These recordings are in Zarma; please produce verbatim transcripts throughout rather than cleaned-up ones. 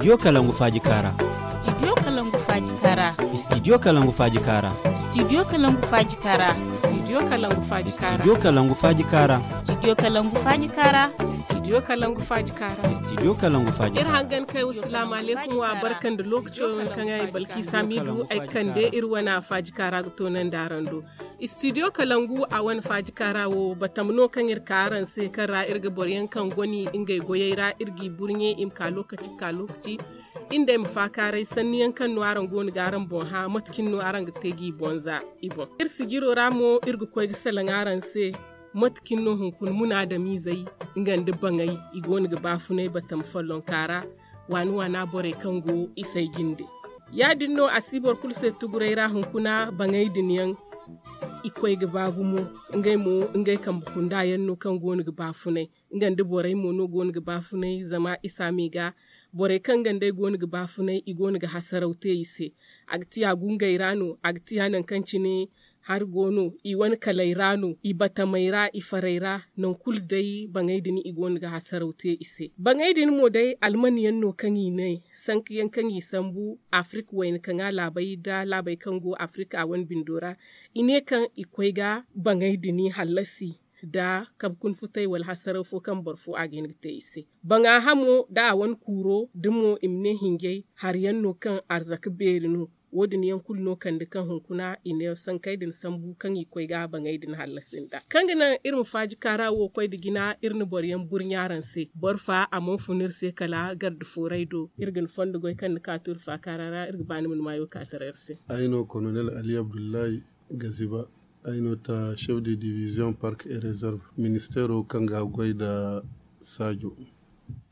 Studio Kalangu Faaji Kaara. Studio Kalangu Faaji Kaara. Studio Kalangu Faaji Kaara. Studio Kalangu Faaji Kaara. Studio Kalangu Faaji Kaara. Studio Kalangu Faaji Kaara. Studio Kalangu Faaji Kaara. Studio Kalangu Faaji Kaara. Studio Kalangu Faaji Kaara. Iri hangan kay wa salaamu alaykum wa barka nda lookaco yaŋ kaŋ ay balki saamidu ay kande iri wane faaji kaara ga toonandi araŋ do. Studio Kalangu a wane faaji kaara wo batama no kaŋ iri ka araŋ se kaŋ ra iri ga boro yaŋ kaŋ goni ngey goyey ra iri g'i burɲe i ma ka lookaci ga ka lookaci. Iri nd'ey ma faakaaray sanni yaŋ kaŋ no araŋ go no ga araŋ boŋ hã mate cine no araŋ ga te g'i boŋ za i boŋ iri sijiro ra mo iri ga koy ga salaŋ araŋ se. Mate cine no hunkuna munaadamiizey nga nda baŋey i go no ga baafunay batama follonka ra waani waana borey kaŋ go i say jinde. Ya- din no a si boro kulu se tuguray ra hunkuna baŋey din yaŋ i koy ga ba gumo. Ngey mo ngey kambe kunda yaŋ no kaŋ go no ga baafunay nga nda borey mo no go no ga baafunay zama i si a me ga borey kaŋ gandey go no ga baafunay i go no ga hasaraw te i se. A ga tiya gungey ra no a ga tiya nangu kaŋ cine hari go no i wane kaley ra no i batamey ra i farey ra nangu kulu day baŋey din i go no ga hasaraw te i se. Baŋey din mo day alman yaŋ no kaŋ i ne sanka yaŋ kaŋ i sambu afirika wayna kaŋ a laabey nda laabey kaŋ go afirika a wane bindo ra i ne kaŋ i koy ga baŋey din hallasi nda kabe kuna futay wala hasaraw fo kaŋ boro fo a ga hin ga te i se. Baŋa hamo nda a wane kuuro da mo i ma ne hinjay hari yaŋ no kaŋ arzaka beeri no. Wo- din yaŋ kulu no kande kaŋ hunkuna i ne sankey din sambu kaŋ i koy ga baŋey din hallasi nda kaŋ ga naŋ iri ma faaji kaara wo koy nda jina iri na boro yaŋ burɲa araŋ se boro fa a mana fun iri se kala garde fooray do iri ga ni fondo goy kaŋ ni ka to iri faakaara ra iri ga ba ni ma ni maayo ka taray iri se. Ay no kolonel ali abdullahi gaziba. Ay no ta chef de division park et réserve ministeero kaŋ ga goy nda saajo.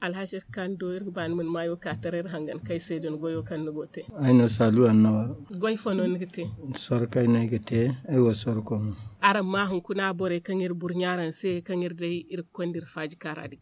Alhaji kando iri ga ba ni ma ni maayo ka taray iri hangan kay se din goyo kaŋ ni go te. Ay no saalu annawa. Goy fo no ni ga te? Sorkay no ay ga te. Ay wo sorko no. Araŋ ma hunkuna borey kaŋ iri burɲa araŋ se kaŋ iri day iri ga koy nda iri faaji kaara din.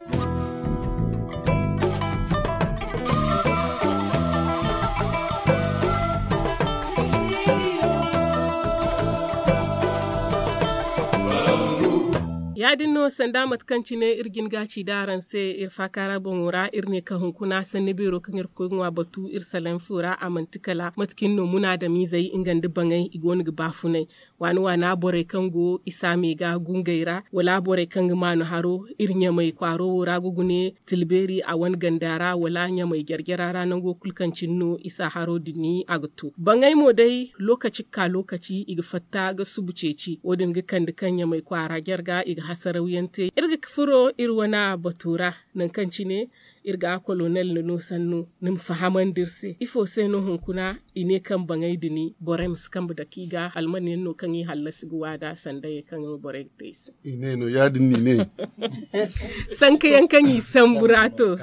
Ya- din no sanda mate kaŋ cine iri jin ga ci da araŋ se iri faakaara boŋo ra iri ne kaŋ hunkuna sanni beero kaŋ iri ga koy ga ŋwa batu iri salaŋ fo ra a manti kala mate cine no munaadamiizey nga nda baŋey i go no ga baafunay. Waani waana borey kaŋ go i saamey ga gungey ra wala borey kaŋ ga maanu haro iri ɲamey kwaaro wo ra ga gune tilbeeri a wane ganda ra wala ɲamey jare-jara ra nango kulu kaŋ cine no i si a haro din a ga to baŋey mo day lookaci ga ka lookaci i ga fatta ga subu ceeci wo- din ga kande kaŋ ɲamey kwaara jarga i ga hasarawyaŋ te iri ga furo iri wane bato ra. Nangu kaŋ cine iri ga kolonel nda no sannu ni ma fahamandi iri se ifo se no hunkuna i ne kaŋ baŋey din borey ma si kambe dake i ga alman yaŋ no kaŋ i hallasi ga waada sanda ye kaŋ borey ga te i se. I ne no ya- din no i ne. Sanka yaŋ kaŋ i sambu ra to.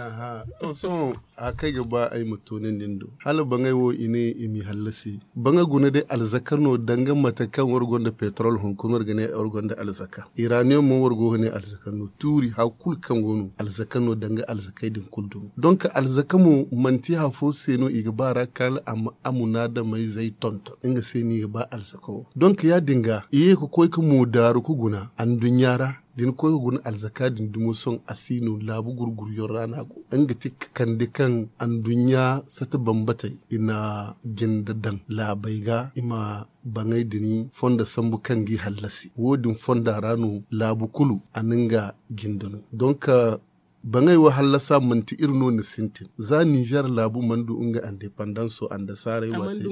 To sohõ a kaŋ ay ga ba ay ma toonandi ni do hala baŋey wo i ne i m'i hallasi. Baŋey guna day alzaka no danga mate kaŋ war gonda petrol hunkuna war ga ne war gonda alzaka iraniyon mo war go ga ne alzaka no tuuri hari kulu kaŋ go no alzaka no danga alzakey din kulu dumo donk alzaka mo manti hari fo se no i ga ba ra kala a ma munaadamey zey tonton nga se no i ga ba alzaka wo donk ya- din ga i ye ga koy ga mo daaru ga guna anduɲɲa ra da ni koy ga guna alzaka din dumo sohõ a si no laabu gurguryaŋ ra no a go nga ti ga kande kaŋ anduɲɲa sata bambatey i na jinde daŋ laabey ga i ma baŋey din fondo sambu kaŋ ga i hallasi wo- din fonda ra no laabu kulu a na nga jinde no donk baŋey wo hallasa manti iri no ni sintin za nizer laabu mana du nga andepandanso andasaarey waate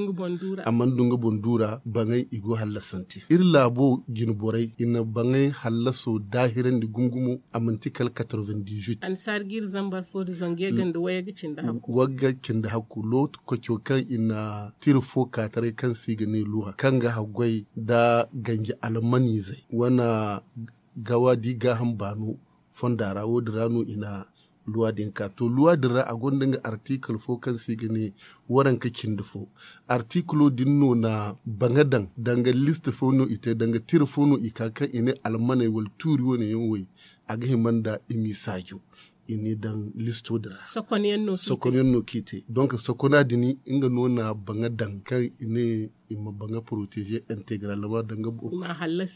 a mana du nga boŋ duura baŋey i go hallasante iri laabo jine borey i na baŋey hallaso daahirandi gumo-gumo a manti kala quatre-vingt-dix-huit. Wagga cindi hakku lookaco kaŋ i na tira fo ka taray kaŋ se i ga ne luha kaŋ ga haggoy nda ganji almanizey wane gawa da i gaaham baano fonda ra wo- din ra no i na luwa din ka to luwa din ra a gonda nga artikil fo kaŋ se i ga ne waranka cindi fo. Artikilo din no na baŋa daŋ danga list fo no i te danga tira fo no i ka kaŋ i ne almaney wala tuuri wane yaŋ wo a ga hima nda i m'i saajo i n'i daŋ listo din ra. Sokon yaŋ no kaŋ i te donk sokona din nga no na baŋa daŋ kaŋ i ne i ma baŋa poroteeze integralama danga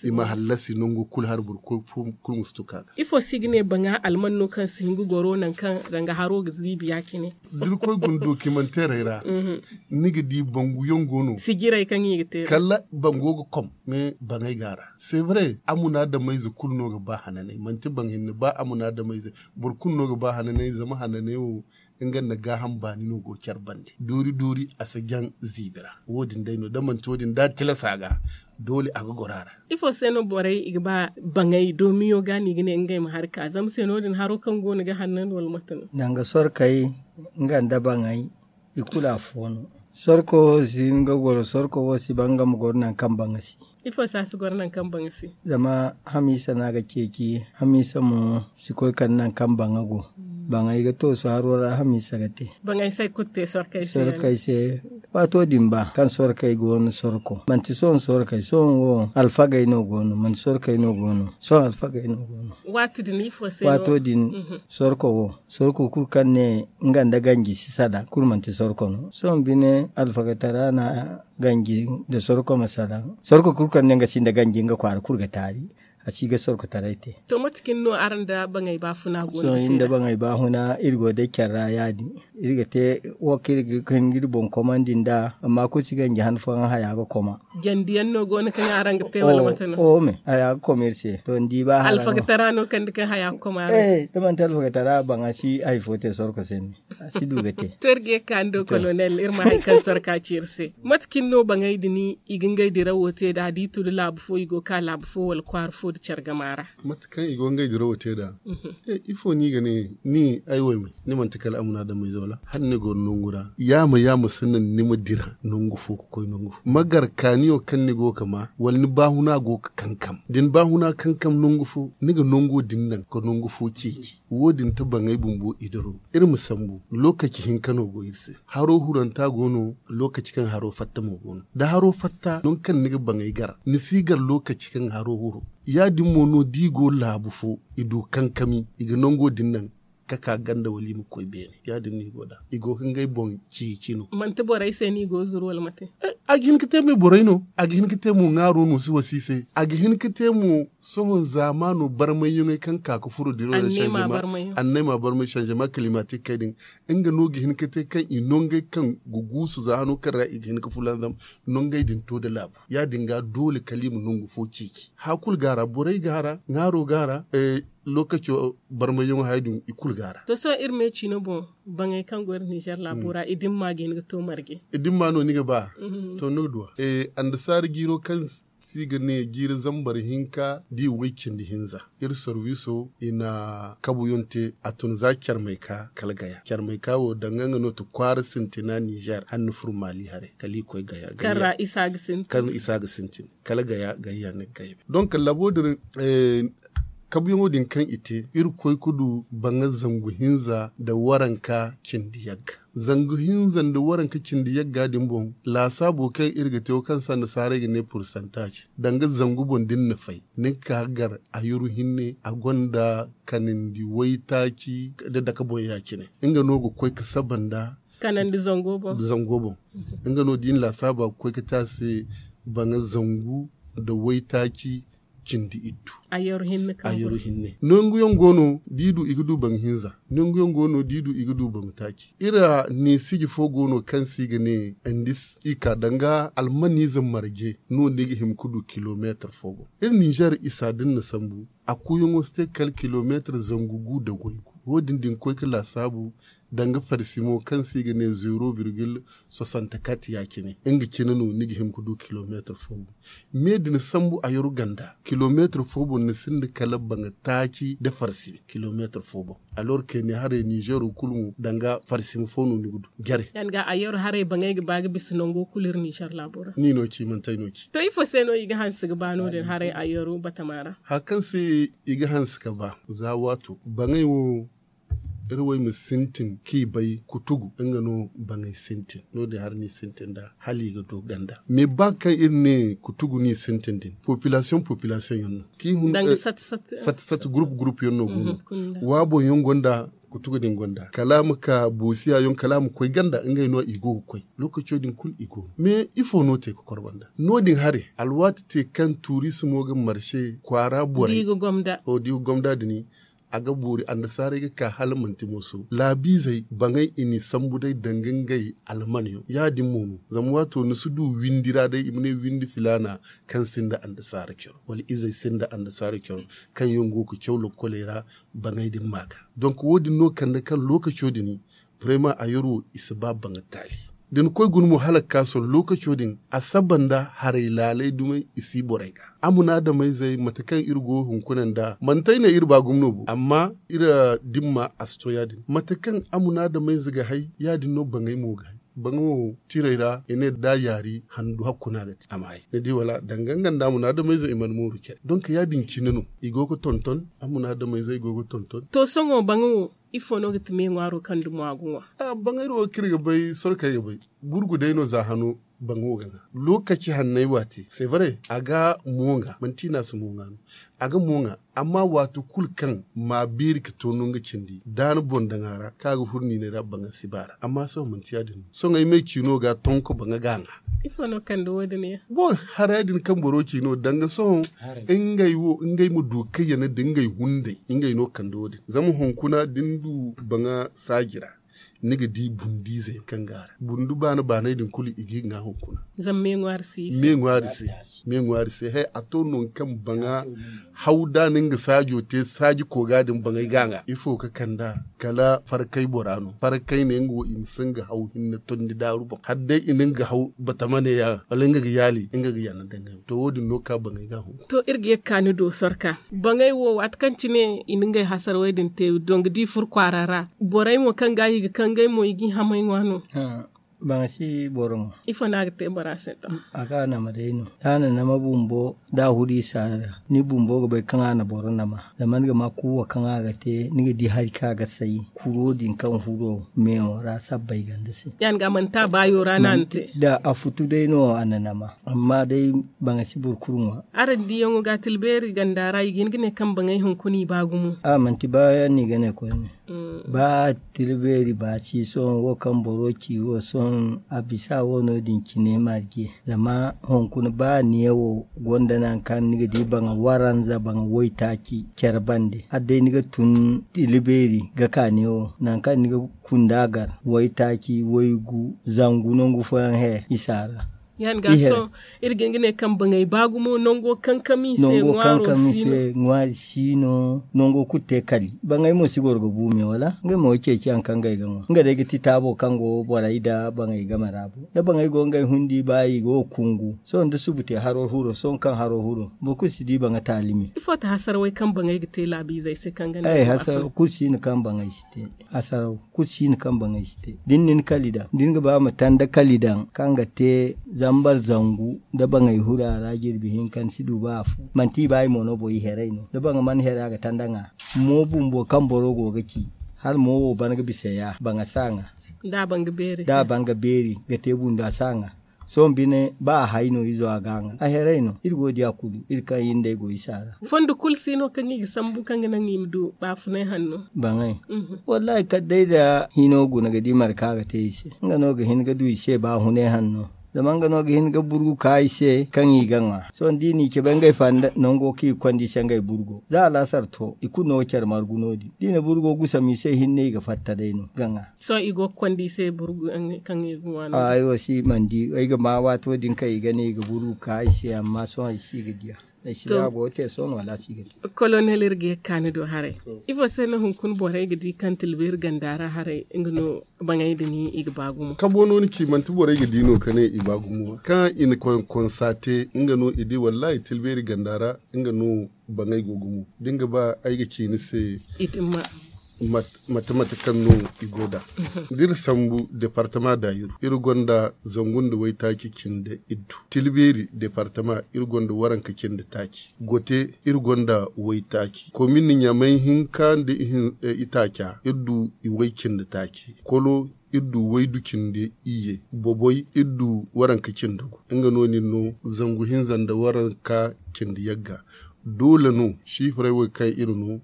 i ma hallasi nango kulu hari boro kulu ma si tuka ga. Ifo se i ga ne baŋa alman no kaŋ si hin ga goro nangu kaŋ danga haro ga ziibi ya- cine? Da ni koy guna dokimanteerey ra, ni ga di bangu yaŋ go no sijiray kaŋ i ga te kala bango ga kom. Mais baŋay go a ra, c'est vrai, amunaadamayze kulu no ga ba hananay, manti baŋ hinne ba amunaadamayze, boro kulu no ga ba hananay zama hananay wo nga nda gaaham baani no go care bande. Doori doori a si jaŋ ziibi ra. Wo-din day no da manti wo-din da a tilasa ga, doole a ga goro a ra. Ifo se no borey i ga ba baŋay doomiyo ga no i ga ne ngey ma hari ka zama se no- din haro kaŋ go no ga hannan wala mate no? Danga sorkey nga nda baŋay i kulu afo no. Sorko si hin ga goro sorko wo si ba nga ma goro nangu kaŋ baŋa si. Ifo se a si goro nangu kaŋ baŋa si? Zama hamiisa no a ga ceeci, hamiisa mo si koy kande nangu kaŋ baŋa go. Baŋay ga toosu haro ra hamiisa ga te. Baŋay se ay kulu te sorkey se. Waato din ba kaŋ sorkey go no sorko manti sohõ sorkey sohõ wo alfagey no go no manti sorkey no go no sohõ alfagey no go no. Waato din ifo se no? Waato din sorko wo sorko kulu kaŋ ne nga nda ganji si sala kulu manti sorko no sohõ bine alfagatara na ganji nda sorko ma sala. Sorko kulu kaŋ ne nga si nda ganji nga kwaara kulu ga taari a si ga sorkotaray te. To mate cine no araŋ nda baŋay baafuna go no? Sohõ iri nda baŋay baafuna iri go day care ra ya- din. Iri ga te wo kaŋ iri ga hin ga iri boŋ komandi nd'a amma kulu si ganji han fooyaŋ haya ga koma. Jandi yaŋ no go no kaŋ araŋ ga te wala mate no? Oome haya ga koma iri se to ni di ba hara no. Alfagatara no kaŋ da kaŋ haya ga koma araŋ se? Da manti alfagatara baŋa si hari fo te sorko se ne. A si du ga te. To iri ga ye ga ka ni do kolonel iri ma hari kaŋ sorka ci iri se. Mate cine no baŋay din i ga ngey dirawo te da da i tun da laabu fo i go ga ka laabu fo wala kwaara fo da care gama ra? Mate kaŋ i go ga ngey dirawo te da. Ifo no i ga ne ni ay wo ay ma ni manti kala amunaadamayze wala hala ni goro nangu ra yaama yaama sannan ni ma dira nangu fo ga koy nangu fo ma gar kaaniyo kaŋ ni go ga ma wala ni baahuna go ga kankam da ni baahuna kankam nangu fo ni ga nango din naŋ ga nangu fo ceeci. Wo- din ta baŋay bumbo i diraw iri ma sambu. Lookaci hinka no go iri se. Haro huranta go no. Lookaci kaŋ haro fatta mo go no da haro fatta nangu kaŋ ni ga baŋay gar ni si gar lookaci kaŋ haro huro. Ya- din mo no da i go laabu fo i du kankami i ga nango din naŋ ka ka ganda wala i ma koy beene ya- din no i go nd'a. I go ga ngey boŋ ceeci no. Manti borey se no i go ga zuru wala mate? A ga hin ga te mo borey no. A ga hin ga te mo ŋaaro no si wasi i se. A ga hin ga te mo sohõ zaamaano barmayyaŋey kaŋ ka ga furo diraw ra. Annay ma barmay sanzema kilimatikey din. Nga no ga hin ga te kaŋ i nongey kaŋ ga guusu za hano kaŋ ra i ga hin ga fulanzam nongey din to nda laabu. Ya- din ga doole kala i ma nangu fo ceeci haya kulu go a ra borey go a ra ŋaaro go a ra. Lookaco barmayyaŋo haya din i kulu go a ra. To sohõ iri me ciino boŋ baŋey kaŋ go iri ninzeer laabo ra i dimma ga hin ga to marje? I dimma no ni ga ba? To ni ga duw'a annasaara jiiro kaŋ se i ga ne jiiri zambar hinka da i way cindi hinza. Iri sorbiso i na kabuyaŋ te a tun za carmay ka kala gaya carmay ka wo danga nga no ti kwaara sintina ninzeer hala ni furo maali haray kala i koy gaya kaŋ ra isa ga sintin kala gaya gaya ne ga gaya. Donk labo din kabuyaŋo din kaŋ i te iri koy ga du baŋa zangu hinza nda waranka cindi yagga. Zangu hinza nda waranka cindi yagga din boŋ laasaabo kaŋ iri ga te wo kaŋ se annasaarey ga ne pursantaaz danga zangu boŋ da ni na fay ni ga ka ga gar a yaru hinne a gonda kanandi waytaaci nda dake boŋ ya- cine. Nga no ga koy ga saba nda kanandi zango boŋ. Nga no da i na laasaaba ga koy ga te a se baŋa zangu nda waytaaci cindi iddu. A yaru hinne nangu yaŋ go no da i du i ga du baŋ hinza. Nangu yaŋ go no da i du i ga du baŋ taaci. Iri neesiji fo go no kaŋ se i ga ne andis i ka danga almaniize marje no ni ga hima ga du kilomeetar fo boŋ. Iri ninzeer isa da ni na sambu a kuuyaŋo si te kala kilomeetar zangu gu nda goy gu. Wo- din da ni koy ga laasaabu danga farsimo kaŋ se i ga ne zeero virgil soixante-quatre ya- cine nga cine no ni ga hima ga du kilomeetar fo boŋ. Me da ni sambu a yaru ganda kilomeetar fo boŋ ni sinda kala baŋa taaci nda farsimi kilomeetar fo boŋ. Alor kayne haray ninzeero kulu mo danga farsimi fo no ni ga du jare. Danga a yaru haray baŋay ga ba ga bisa nango kulu iri ninzeer laabo ra ni no ci manti ay no ci. To ifo se no i ga hanse ga ba no- din haray a yaru batama ra? Hari kaŋ se i ga hanse ga ba za waato baŋay wo iri wo ay ma sintin kaŋ i bay kutugu nga no baŋay sintin no- din hari no i sintin nd'a hala i ga du ganda. Mais ba kaŋ iri ne kutugu no i sintin din popilasiyoŋ popilasiyoŋ yaŋ no kaŋ i hun sata sata gurup gurup yaŋ no go no. Waabo yaŋ gonda Kutugu din gonda kala a ma ka boosiya yaŋ kala a ma koy ganda ngey no i go ga koy. Lookaco din kulu i go no mais ifo no te ga korba nda no- din hare alwaati te kaŋ turismo ga marse kwaara borey da i ga gomda din a ga boori annasaarey ga ka hala manti mooso laabiizey baŋey i n'i sambu day danga ngey alman yaŋ ya- din mo no zama waato ni si du windi ra day i ma ne windi filaana kaŋ sinda annasaara coro wala izey sinda annasaara coro kaŋ yaŋ go ga caw lokkoley ra. Baŋey din ma ga donk wo- din no kande kaŋ lookaco din vraiment a yar wo i si ba baŋa taali da ni koy guna mo hala ga ka sohõ lookaco din a saba nda haray laalay dumey i si borey ga. A munaadamayzey mate kaŋ iri go hunkuna nda manti ay ne iri ba gumo no bo amma iri dimma a si to ya- din mate kaŋ a munaadamayze ga hay ya- din no baŋey mo ga hay. Baŋa wo tiray ra i ne da a yaari handu hakku no a ga te a ma hay ni di wala danga nga nda a munaadamayze i mana mooru care donk ya- din cine no i go ga tonton a munaadamayze i go ga tonton. To sohõ baŋa wo ifo no ga ti me ŋwaaro kaŋ dumo a ga ŋwa? Baŋay ra wo kaŋ iri ga bay sorkey ga bay burgu day no za hano. Baŋo ga ŋwa lookaci hanney waati c'est vrai a ga mo ŋwa manti no a si mo ŋwa no. A ga mo ŋwa amma waati kulu kaŋ ma beeri ga to no nga cindi da ni boŋ daŋ a ra kaŋ a ga furo niinay ra baŋa si ba a ra amma sohõ manti ya- din no sohõ ay me ciino ga tonko baŋa ga a ŋwa. Ifo no kande wo- din yaŋ? Boŋ haray din kaŋ boro ciino danga sohõ ngey wo ngey ma du kaŋ yana da ngey hunday ngey no kande wo- din zama hunkuna da ni du baŋa saaji ra ni ga di bundiize yaŋ kaŋ ga a ra bundu baana baanay din kulu i ga i ga ŋwa hunkuna. Zama me ŋwaari se me ŋwaari se. Hay a to nangu kaŋ baŋa haw da ni nga saajo te saaji kooga din baŋay ga a ŋwa ifo ga kand'a kala farkay bora no farkay ne nga wo i ma si nga haw hinne tondi daaru boŋ hala day i na nga haw batama ne ya wala nga ga yaali nga ga yana dangay to wo- din no ka baŋay ga a hunkuna. To iri ga ye ga ka ni do sorka baŋay wo waati kaŋ cine i na ngey hasarawey din te donga da i furo kwaara ra borey mo kaŋ ga i ga kaŋ ngey mo i ga i hamay ŋwa no? Baŋa si boro ŋwa. Ifo no a ga te bora se to? A ga a nama day no da a na nama bumbo da a huru i saara ni bumbo ga bay kaŋ a na boro nama zama ni ga ma kuuwa kaŋ a ga te ni ga di hari kaŋ a ga say kuro din kaŋ huro meewo ra sabbay ganda se. Ya- din ga manti a baayo ra no a na te. Da a futu day no a na nama amma day baŋa si boro kulu ŋwa. Araŋ diyaŋo ga tilbeeri ganda ra i ga hin ga ne kaŋ baŋay hunkuna i ba gumo. A manti ba yaŋ no i ga ne koyne. Ba tilbeeri ba ci sohõ wo kaŋ boro ci wo sohõ a bisa wo no- din cine marje zama hunkuna ba niya wo gonda nangu kaŋ ni ga di baŋa waranza baŋa waytaaci care bande hala day ni ga tun tilbeeri ga ka niya wo nangu kaŋ ni ga kunda gar waytaaci waygu zangu nangu fooyaŋ he i si a ra. Ya- din ga sohõ iri ga hin ga ne kaŋ baŋay ba gumo nango kankami se ŋwaari si no. Nango kulu te kali baŋay mo si goro ga bu me wala ngey mo ga ceeci yaŋ kaŋ ngey ga ŋwa nga day ga ti taabo kaŋ go borey nda baŋay game ra bo da baŋay go ngey hundi ba i go ga kungu sohõ da subu te haro huro sohõ kaŋ haro huro boro kulu si di baŋa taali me. Ifo ti hasarawey kaŋ baŋay ga te laabiizey se kaŋ ga ne? Hasaraw kulu si no kaŋ baŋay si te. Hasaraw kulu si no kaŋ baŋay si te da ni na ni kali daŋ da ni ga ba ma tanda kali daŋ kaŋ ga te zambar zangu da baŋay huru a ra jirbi hinka ni si du ba afo manti i ba i mo no boŋ i herey no da baŋa mana here a ga tanda ŋwa. Mo bumbo kaŋ boro go ga ci hala mo wo ban ga bisa ya baŋa si a ŋwa. Da a ban ga beeri ga te bundu a si a ŋwa. Sohõ bine ba a hay no izo a ga a ŋwa a herey no iri go ga di a kulu iri kaŋ iri nd'ey go i si a ra. Fondo kulu si no kaŋ i ga sambu kaŋ ga naŋ i ma du baafunay hanno? Baŋay. Wallahi kala day da hino guna ga di mara kaŋ a ga te i se nga no ga hin ga du i se baafunay hanno. Zama nga no ga hin ga burgu ka i se kaŋ i ga ŋwa sohõ da i n'i cabe ngey fanda nango kaŋ i ga konda i se ngey burgo za alaasar to i kulu no ga care margu no- din da i na burgo gusam i se hinne i ga fatta day no ga ŋwa. Sohõ i go ga konda i se burgu kaŋ i ga ŋwa no? Ay wo si man di ay ga ma waato din kaŋ i ga ne i ga burgu ka i se amma sohõ ay si ga diya. Ay si ba a go ga te sohõ wala a si ga te. Kolonel iri ga ye ga ka ni do haray. Ifo se no hunkuna borey ga di kaŋ tilbeeri ganda ra haray nga no baŋay din i ga ba gumo? Kabo no ni ci manti borey ga di no ka ne i ba gumo kaŋ i na konkonsa te nga no i di wallahi tilbeeri ganda ra. Nga no baŋay go gumo da ni ga ba ay ga ci ni se. Mate mate kaŋ no i go nd'a da iri sambu departama daayiru iri gonda zangu nda waytaaci cindi iddu tilbeeri departama iri gonda waranka cindi taaci gote iri gonda waytaaci komin ɲamay hinka nda itaaca iri du iway cindi taaci kolo iri du waydu cindi iyye boboy iri du waranka cindi gu nga no- din no zangu hinza nda waranka cindi yagga. Doole no siifirey wo kaŋ iri no,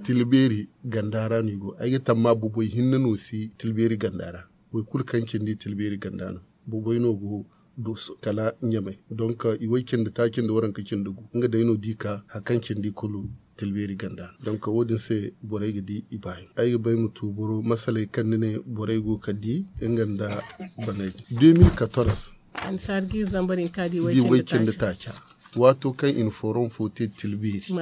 tilbeeri ganda ra no i go. Ay ga tamma bobey hinne no si tilbeeri ganda ra. Boro kulu kaŋ cindi tilbeeri ganda no, bobey no go dooso kala ɲamay. Donk i way cindi taaci nda waranka cindi gu nga day no di ka hari kaŋ cindi kulu tilbeeri ganda no. Donk wo- din se borey ga di i baayaŋ. Ay ga bay ma tu boro masaley kaŋ ni ne borey go ga di nga nda baney. Deux mille quatorze, annasaara ga iri zambar hinka di way cindi taaca. Waato kaŋ i na forom fo te tilbeeri,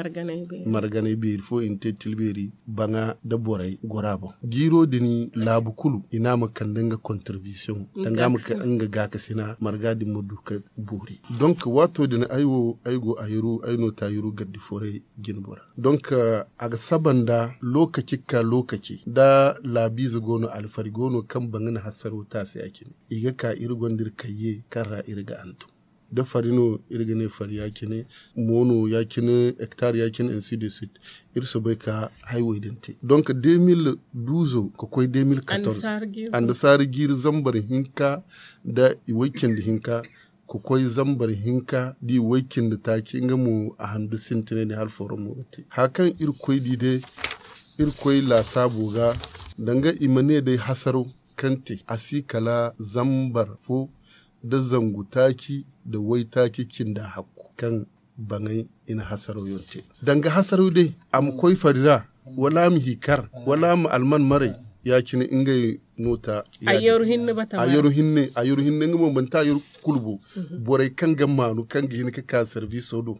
marganay beeri fo i na te tilbeeri baŋa nda borey gora boŋ. Jiiro din laabu kulu i ne a ma kande nga kontribisiyoŋ danga nga gaakasina marga din ma du ka boori. Donk waato din ay wo ay go a yuru ay no ta yuru gardi foray jine bora. Donk a ga saba nda lookaci ga ka lookaci da laabiize go no alfari go no kaŋ baŋ ga na hasaro taasi ya- cine. I ga ka iri gonda iri kayye kaŋ ra iri ga hantum da fari no iri ga ne fari ya- cine, moono ya- cine, hektar ya- cine, ainsi de suite. Iri soobay ka haywey din te donk deux mille douze ka koy deux mille quatorze, annasaara jiiri zambar hinka da i way cindi hinka ka koy zambar hinka da i way cindi taaci nga mo a handu sintinay ne hala forom mo ga te hari kaŋ iri koy di day. Iri koy laasaabo ga danga i ma ne day hasaro kaŋ te a si kala zambar fo da zangu taaci da waytaaci cinda hakku kaŋ baŋay i na hasaraw yaŋ te. Danga hasaraw day a ma koy fari ra wala a ma hi kar wala a ma alman maray ya- cine ngey no ta. Ayyaru hinne ayyaru hinne nga mo manti ayyaru kulu bo. Borey kaŋ ga maanu kaŋ ga hin ka ka sarbiso do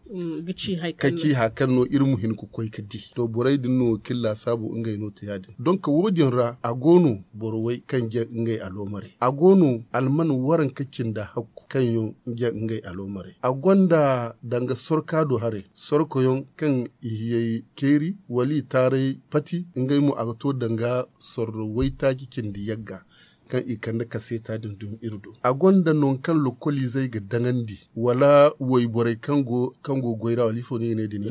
ka ci hari kaŋ no iri ma hin ka koy ka di to borey din no kaŋ laasaabu ngey no ta ya- din donk wo- din ra a go no boro way kaŋ ja ngey aloomarey a go no alman waranka cinda hakku kaŋ yaŋ ja ngey aloomarey a gonda danga sorka do haray sorko yaŋ kaŋ i hiyey keeri wala i taaray pati ngey mo a ga to danga sorro waytaaci cindi yagga kaŋ i kande kaseeta din dumi iri do a gonda nangu kaŋ lokoliizey ga daŋandi wala wayborey kaŋ go goy ra wala ifo no i ga ne din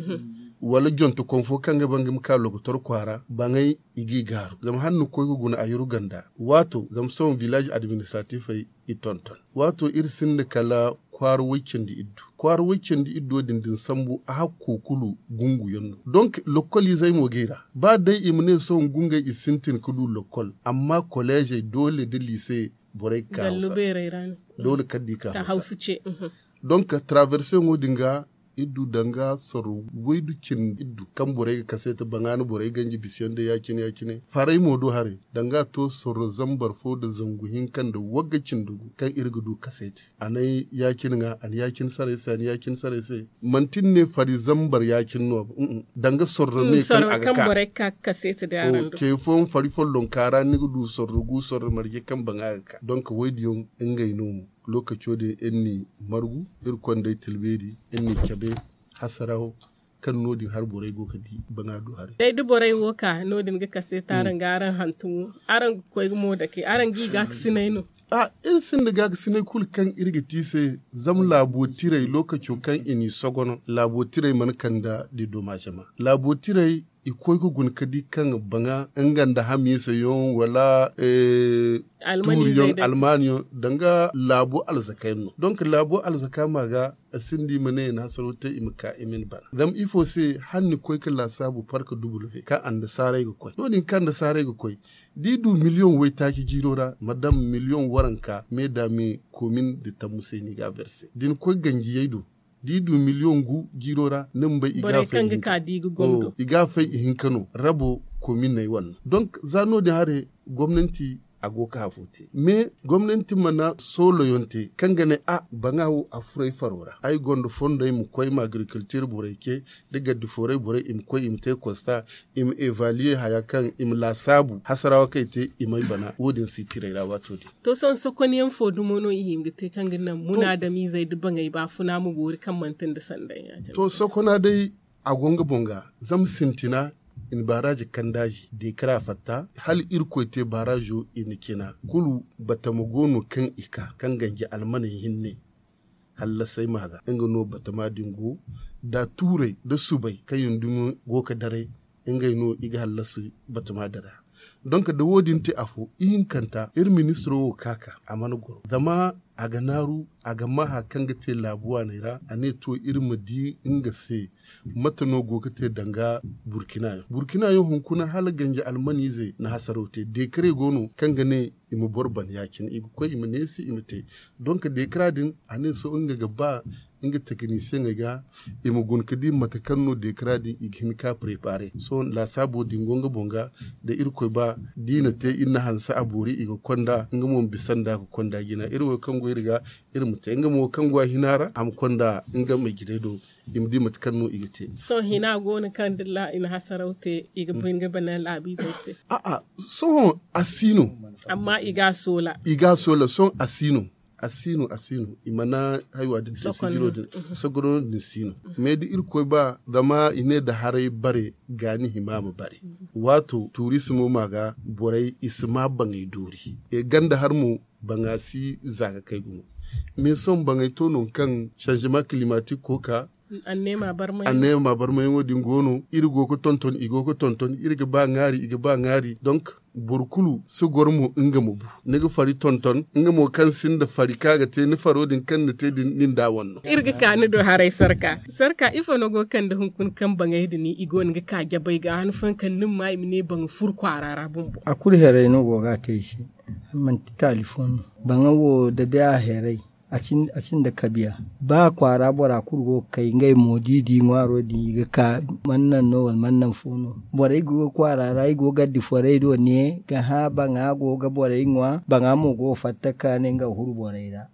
wala jonte koŋ fo kaŋ ga ba nga ma ka lokotor kwaara baŋay i g'i gaaru zama hala ni koy ga guna a yuru ganda waato zama sohõ village administratifey i tonton waato iri sinda kala kwaara way cindi iddu kwaara way cindi iddo din da ni sambu a hakko kulu gungu yaŋ no donk lokoliizey mo g'i ra ba day i ma ne sohõ gungey i sintin ga du lokol amma koleezey doole da liise borey ga ka hawsa doole kala da i ka hawsa donk taraverse yaŋo din ga iri du danga sorro waydu cindi iri du kaŋ borey ga kaseeti baŋaana borey ganji bisiyaŋ day ya- cine ya- cine farey mo do haray danga a to sorro zambar fo nda zangu hinka nda wagga cindi gu kaŋ iri ga du kaseeti a na ay ya- cine ŋwa a na ya- cine saray se a na ya- cine saray se manti ni ne fari zambar ya- cine no ba danga sorro me kaŋ a ga ka ce fooyaŋ fari follonka ra ni ga du sorro gu sorro marje kaŋ baŋa ga ka donk waydiyaŋ ngey no mo lookaco din iri n'i margu iri konda ay tilbeeri iri n'i cabe hasaraw kaŋ no- din hari borey go ga di baŋa du haray day da borey wo ka no- din ga kase taaraŋ ga araŋ hantumo araŋ ga koy ga mo dake araŋ g'i gaakasinay no a iri sinda gaakasinay kulu kaŋ iri ga te i se zama laabo tirey lookaco kaŋ i n'i sogono laabo tirey mana kande da domazema laabo tirey i koy ga guna ga di kaŋ baŋa nga nda hamiisa yaŋ wala tuuri yaŋ almaani yaŋ danga laabo alzaka yaŋ no donk laabo alzaka ma ga a sinda i ma ne i na hasaro te i ma ka i ma ni bana zama ifo se hala ni koy ga laasaabu park duble ve kaŋ annasaarey ga koy no- din kaŋ annasaarey ga koy da i du miliyoŋ waytaaci jiiro ra ma daŋ miliyoŋ waranka me da me komin nda tammu se no i ga a verse da ni koy ganjiyey do da i du miliyoŋ gu jiiro ra ni ma bay i ga a fay i hinka no rabo kominey wane no donk za no- din haray gomnanti a go ga hafo te mais gomnanti mana soolo yaŋ te kaŋ ga ne a baŋa wo a furo ay faro ra ay gonda fondo ay ma koy ma agriculture borey ce da gaddi fooray borey i ma koy i ma te constat i ma evaluer haya kaŋ i ma laasaabu hasarawa kaŋ i te i ma ay bana wo- din si tirey ra waato din to sohõ sokon yaŋ fo dumo no i hima ga te kaŋ ga naŋ munaadamiizey da baŋey baafuna ma boori kaŋ manti nda sanday ya- cine to sokona day a go nga boŋ ga zama sintina i na baaraaji kandaaji deekara fatta hala irkoy te baaraajo i na cina kulu batama go no kaŋ i ka kaŋ ganji almaney hinne hallasay ma ga nga no batama din go da tuuray da subay kaŋ yaŋ dumi go ga daray ngey no i ga hallasi batama din ra Donk da wo- din te afo ihinkanta iri ministiro wo ka ka a mana goro zama a ga naaru a ga ma hari kaŋ ga te laabu waaney ra a ne to iri ma di nga se mate no go ga te danga burkina yaŋ burkina yaŋ hunkuna hala ganji almaniizey na hasaraw te deekare go no kaŋ ga ne i ma boro ban ya- cine i ga koy i ma neesi i ma te donk deekara din a ne sohõ nga ga ba nga tekinisiyeŋey ga i ma guna ga di mate kaŋ no deekara din i ga hin ka preparer sohõ laasaabo din go nga boŋ ga da irkoy ba da i na te iri na hanse a boori i ga konda nga mo ma bisa nda ga konda jina iri wo kaŋ go iri ga iri ma te nga mo kaŋ go a hina ra a ma konda nga ma jirey do i ma di mate kaŋ no i ga te. Sohõ hina go no kaŋ da i na hasaraw te i ga bine ga bana laabiizey se. A'a sohõ a si no. Amma i ga a soola. I ga a soola sohõ a si no. A si no a si no i mana haywa din te sijiro din sogoro din si no. Mais da irkoy ba zama i ne da haray bare gaani hima ma bare. Waato turisimo ma ga borey i si ma baŋey doori. Ganda har mo baŋa si za ga kay gumo. Mais sohõ baŋey to no kaŋ changement climatique ko ka anneema barmayaŋo din go no iri go ga tonton i go ga tonton iri ga ba ŋaari i ga ba ŋaari donk boro kulu si goro mo nga ma bu ni ga fari tonton nga mo kaŋ sinda fari kaŋ a ga te ni faro din kaŋ ni te din nin da wanno. Iri ga ka ni do haray sarka sarka ifo no go ga kande hunkuna kaŋ baŋay din i go no ga ka jabay ga han fooyaŋ kaŋ ni ma ma i ma ne baŋ furo kwaara ra bumbo. A kulu heray no go ga a te i se. Manti taali fo no baŋa wo da day a heray a sinda kabiya. Ba kwaara bora kulu go ga kay ngey mo da i di ŋwaaro din i ga ka man naŋ no wala man naŋ fo no. Borey go ga kwaara ra i go ga addiforey do ne ga hã baŋa go ga borey ŋwa baŋa mo go ga fatta ka ne nga ga huru borey ra.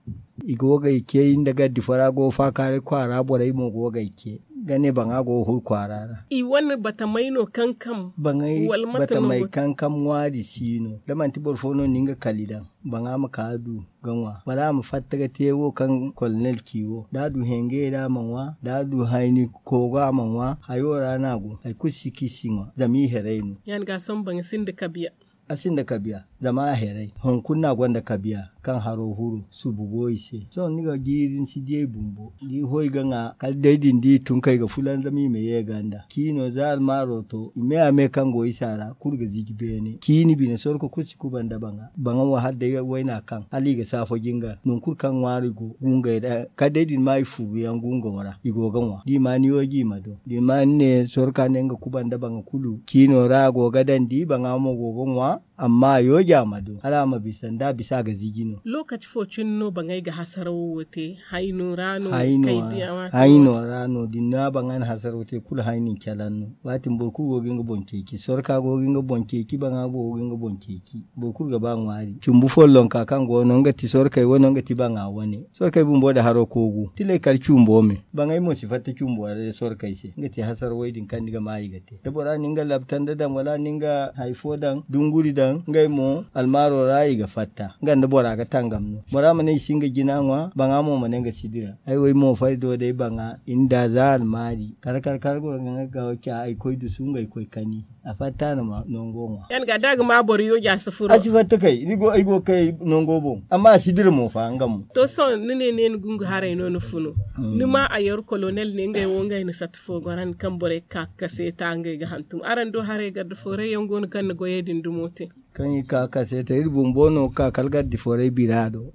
I go ga ay ce nda gaddifora go ga faakaaray kwaara borey mo go ga ay ce ga ne baŋa go ga huru kwaara ra. I wane batamey no kankam baŋay wala mate no batamey go kankam ŋwaari si no da manti boro fo no na nga kali daŋ baŋa ma ka du ga ŋwa wala a ma fatta ga te wo kaŋ kolonel ci wo da a du hengey ra a ma ŋwa da a du hayni koogo a ma ŋwa hayo ra no a go hari kulu si kaŋ i si ŋwa zama i heray no. Yaŋ ga sohõ baŋa sinda kabiya. A sinda kabiya zama a heray hunkuna no a gonda kabiya kaŋ haro huru subu go i se sohõ ni ga jiiri ni si di ay bumbo da i hoy ga ŋwa kala day din da i tun kay ga fulanzam i ma ye ganda ciino za almaaro to i me a me kaŋ go isa ra kulu ga ziji beene ciini bine sorko kulu si kuba nda baŋa baŋa wo hala day wayna kaŋ hala i ga saafo jingar nangu kulu kaŋ ŋwaari go gungay ra kala day da ni ma i furu yaŋ gungo ra i go ga ŋwa da i ma ni yooji i ma do da i ma ni ne sorka ne nga kuba nda baŋa kulu ciino ra a go ga daŋ di baŋa mo go ga ŋwa amma a yooji a ma do hala a ma bisa nda a bisa a ga ziji no. Lookaci fo cine no baŋay ga hasarawo wo te hayno ra no kay diya waati hayno ra no da ni na baŋa na hasarawo te kulu hayno ni calaŋ no waati boro kulu go ga nga boŋ ceeci sorka go ga nga boŋ ceeci baŋa go ga nga boŋ ceeci boro kulu ga ba ŋwaari cumbu follonka kaŋ go no nga ti sorkey wane nga ti baŋa wane sorkey bumbo da haro koogu tilay kala cumbo me baŋay mo si fatta cumbo ra day sorkey se nga ti hasar way din kaŋ ni ga ma i ga te da bora na nga labtanda daŋ wala na nga hari fo daŋ dunguri daŋ ngey mo almaaro ra i ga fatta nga nda bora ga tangam no bora ma ne i si nga jina ŋwa baŋa mo ma ne nga si dira ay way mo fari do day baŋa i na da za almaari kar kar kar goro ga nga ga ca ay koy dusu ngey koy kani a fatta no ma nango ŋwa. Yaŋ ga da ga ma boro yooja si furo a si fatta kay ni go ay go kay nango boŋ amma a si dira mo fa nga mo. To sohõ ni ne ne ni gungu haray no ni funu ni ma a yar kolonel ne ngey wo ngey na sata fo goro ni kaŋ borey ga ka ga kaseeta ngey ga hantum araŋ do haray garda fooray yaŋ go no kaŋ na goyey din dumo te. Kaŋ i ka ga kaseeta iri bumbo no ga ka kala garda fooray bira do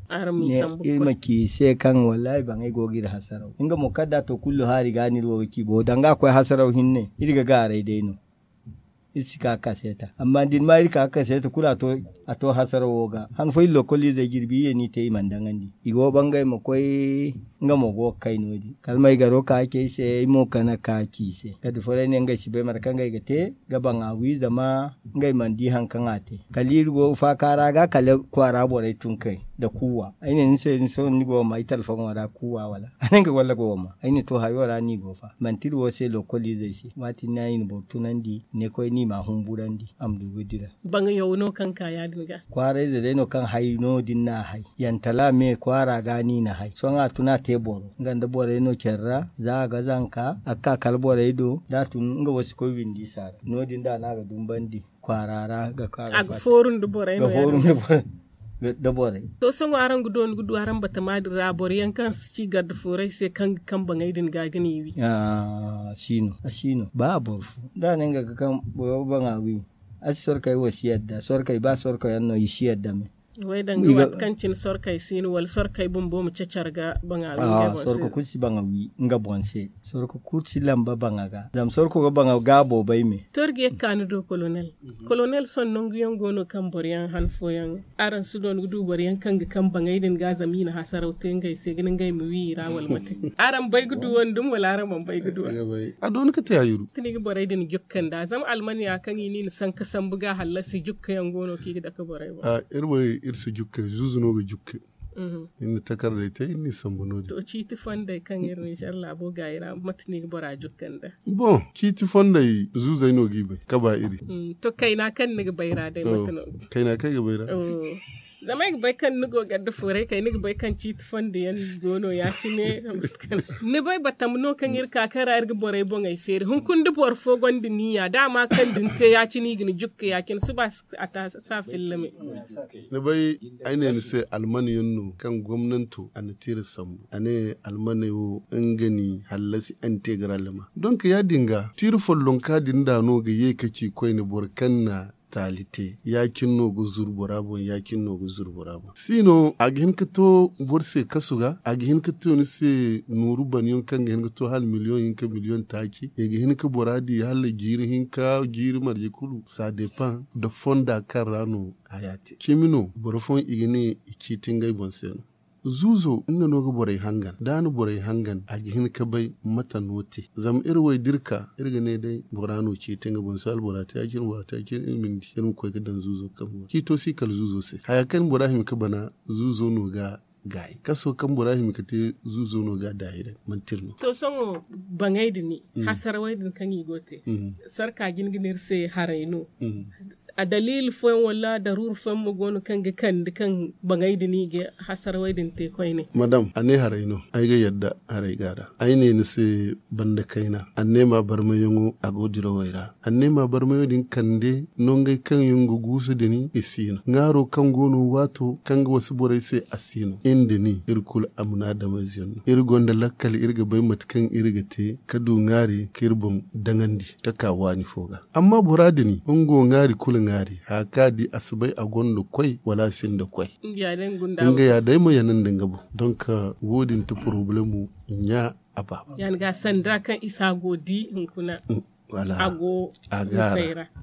iri ma ci i se kaŋ wallahi baŋay go ga iri hasaraw nga mo kala da a to kullu haari ga no iri wo ga ci bo danga a koy hasaraw hinne iri ga gaaray day no. Iri si ka ga kaseeta amma da ni ma iri ka ga kaseeta kulu a to hasarawo ga han fooyaŋ lokoliizey jirbi iyye no i te i mana daŋandi i go bangay ma koy nga mo go ga kay no- din kala ma ay garo ka ga ci ay se ay mo kana ka ga ci i se kala da fooray ne ngey si bay mate kaŋ ngey ga te ga baŋ a wi zama ngey mana di hari kaŋ a te kala iri go ga faaka ra ga kala kwaara borey tun kay nda kuuwa ay ne ni se ni sohõ ni go ga ma ay talfoŋo ra kuuwa wala a ne nga walla go ga ma ay ne to hayo ra no i go fa manti iri wo se lokoliizey se waati no i na boro tunandi i ne koy no i ma a humburandi a ma du ga dira. Baŋ yaw no kaŋ ka ya- din ga kwaarayze day no kaŋ hay no- din no a hay yantala me kwaara ga no i na hay sohõ a tun a te boro nga nda borey no care ra za a ga zanka a ga ka kala borey do da a tun nga wo si koy windi isa ra no- din da no a ga dumbandi kwaara ra ga ka ga fooru nda borey no ya- din ga fooru nda borey. Da borey. To sohõ araŋ ga dooni ga du araŋ batama din ra boro yaŋ kaŋ si ci garda fooray se kaŋ ga kaŋ baŋay din ga ga ni wi. A si no a si no ba boro fo da a ne nga ga kaŋ boro baŋa wi. A si sorkey wo si yadda sorkey ba sorkey yaŋ no i si yadda me. Way danga waati kaŋ cine sorkey si no wala sorkey bumbo ma cacar ga baŋa wi ngey boŋ se. Sorko kulu si baŋa wi nga boŋ se. Sorko kulu si lamba baŋa ga zama sorko ga baŋa ga boobay me. Torge ka ni do kolonel. Kolonel sohõ nangu yaŋ go no kaŋ boro yaŋ han fooyaŋ araŋ si doona ga du boro yaŋ kaŋ ga kaŋ baŋey din ga zama i na hasaraw te ngey se ga ni ngey ma wi i ra wala mate? Araŋ bay ga du wandum wala araŋ mana bay ga du a doona ga te a yuru. Tini ga borey din jukka nda zama almaniya kaŋ i ni na sanka sambu ga hallasi jukka yaŋ go no kaŋ i ga dake borey boŋ. Iri si jukka zuuzu no ga jukka. Iri na takardey te iri n'i sambu no- din. To ciiti fondey kaŋ iri ninzeer laabo ga i ra mate no i ga bora jukka nda? Boŋ ciiti fondey zuuzey no g'i bay ka ba iri. To kayna kaŋ ni ga bay ra day mate no? Kayna kaŋ ay ga bay ra. Zama ay ga bay kaŋ ni go ganda fuuray kay ni ga bay kaŋ ciiti fondo yaŋ go no ya- cine. Ni bay batam no kaŋ iri ka kaŋ ra iri ga borey boŋey feeri hunkuna da boro fo gonda niya daama kaŋ da ni te ya- cine i ga ni jukka ya- cine suba a ta sa filla me. Ni bay ay ne ni se almane yaŋ no kaŋ gomnanto a na te iri sambu a ne almane wo nga ni hallasi integralema donk ya- din ga tiiri follonka din da no ga ye ka ci koyne boro kaŋ na taali te ya- cine no ga zuru bora boŋ ya- cine no ga zuru bora boŋ si no a ga hin ka to boro se kasu ga a ga hin ka to ni se nooru bana yaŋ kaŋ ga hin ka to hala miliyoŋ hinka miliyoŋ taaci i ga hin ka bora di hala jiiri hinka jiiri marje kulu ça dépend nda fonda kaŋ ra no haya te cimi no boro fooyaŋ i ga ne i ciiti ngey boŋ se no. Zuuzo nga no ga borey hangan da a na borey hangan a ga hin ka bay mate no te zama iri wo ay da iri ka iri ga ne day bora no ciiti nga boŋ se albora te ya- cine bora te ya- cine iri ma ni di iri ma koy ga daŋ zuuzo kambe boŋ ciito si kala zuuzo se haya kaŋ bora hima ga bana zuuzo no ga gaayi kaso kaŋ bora hima ga te zuuzo no ga daayi day manti iri no. To sohõ baŋey din hasarawey din kaŋ i go ga te sarka jin ga ne iri se haray no. A daliili fooyaŋ wala daruuru fooyaŋ mo go no kaŋ ga kande kaŋ baŋey din i ga hasarawey din te koyne? Madam a ne haray no ay ga yadda haray ga a ra ay ne ni se banda kayna anneema barmayaŋo a go dirawey ra anneema barmayo din kande nongey kaŋ yaŋ ga guusu din i si no ŋaaro kaŋ go no waato kaŋ ga wasu borey se a si no iri da ni iri kulu amunaadameyze yaŋ no iri gonda lakkal iri ga bay mate kaŋ iri ga te ka du ŋaari ka iri boŋ daŋandi ka ka waani fo ga amma bora din nga wo ŋaari kulu ŋaari haya kaŋ a di a si bay a gonda koy wala a sinda koy nga ya day ma yana nda nga boŋ donk wo- din ti porobalemo ɲa a baaba ya- ni ga sanda kaŋ isa go di hunkuna